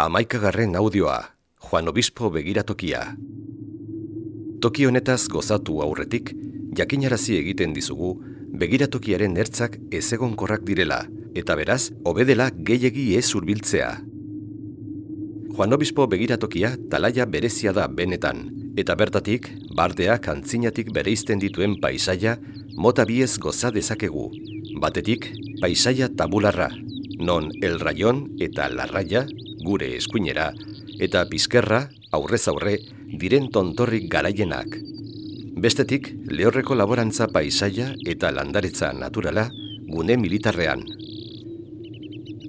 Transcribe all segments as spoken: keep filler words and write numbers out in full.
Hamaikagarren audioa, Juan Obispo begiratokia. Toki honetaz gozatu aurretik, jakinarazi egiten dizugu, begiratokiaren ertzak ezegonkorrak direla, eta beraz, hobedela gehiegi ez hurbiltzea. Juan Obispo begiratokia talaia berezia da benetan, eta bertatik, bardeak antzinatik bereizten dituen paisaia, mota biez goza dezakegu. Batetik, paisaia tabularra, non el rayon eta la raya, gure eskuinera, eta pizkerra, aurrez aurre, diren tontorrik garaienak. Bestetik, lehorreko laborantza paisaia eta landaretza naturala, gune militarrean.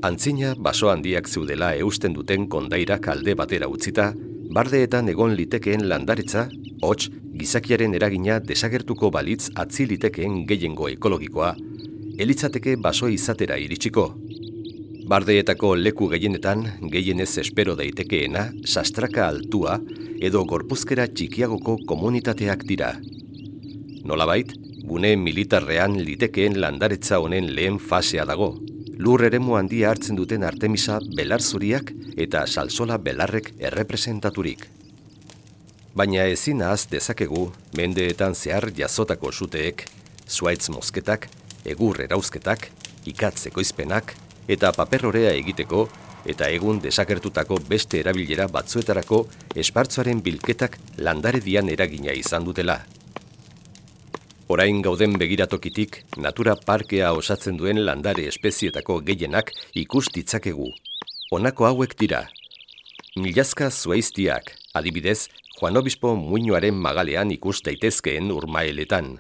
Antzina baso handiak zeudela eusten duten kondairak alde batera utzita, bardeetan egon litekeen landaretza, hots, gizakiaren eragina desagertuko balitz atzi litekeen gehiengo ekologikoa, elitzateke baso izatera iritsiko. Bardeetako leku gehienetan, gehienez espero daitekeena, sastraka altua edo gorpuzkera txikiagoko komunitateak dira. Nolabait, gune militarrean litekeen landaretza honen lehen fasea dago. Lur eremu handia hartzen duten Artemisa belar zuriak eta salsola belarrek errepresentaturik. Baina ezin ahaz dezakegu, mendeetan zehar jazotako suteek, zuaitz mozketak, egur erauzketak, ikatz ekoizpenak, eta paperrorea egiteko, eta egun desagertutako beste erabilera batzuetarako espartzuaren bilketak landaredian eragina izan dutela. Orain gauden begiratokitik, natura parkea osatzen duen landare espezietako gehienak ikus ditzakegu. Honako hauek dira. Milazka zuaiztiak, adibidez, Juan Obispo muinoaren magalean ikus daitezkeen urmaeletan.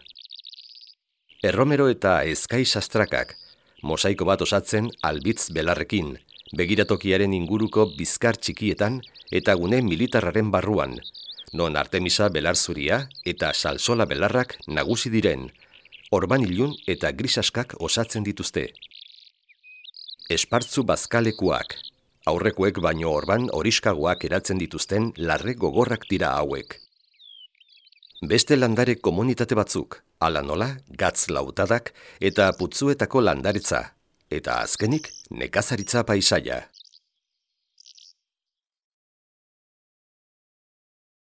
Erromero eta ezkai sastrakak, mosaiko bat osatzen albitz belarrekin, begiratokiaren inguruko bizkar txikietan eta gune militarraren barruan, non Artemisa belar zuria eta salsola belarrak nagusi diren, orban ilun eta grisaskak osatzen dituzte. Espartzu bazkalekuak, aurrekoek baino orban horiskagoak eratzen dituzten larre gogorrak dira hauek. Beste landare komunitate batzuk, ala nola, gatz lautadak eta putzuetako landaretza, eta azkenik nekazaritza paisaia.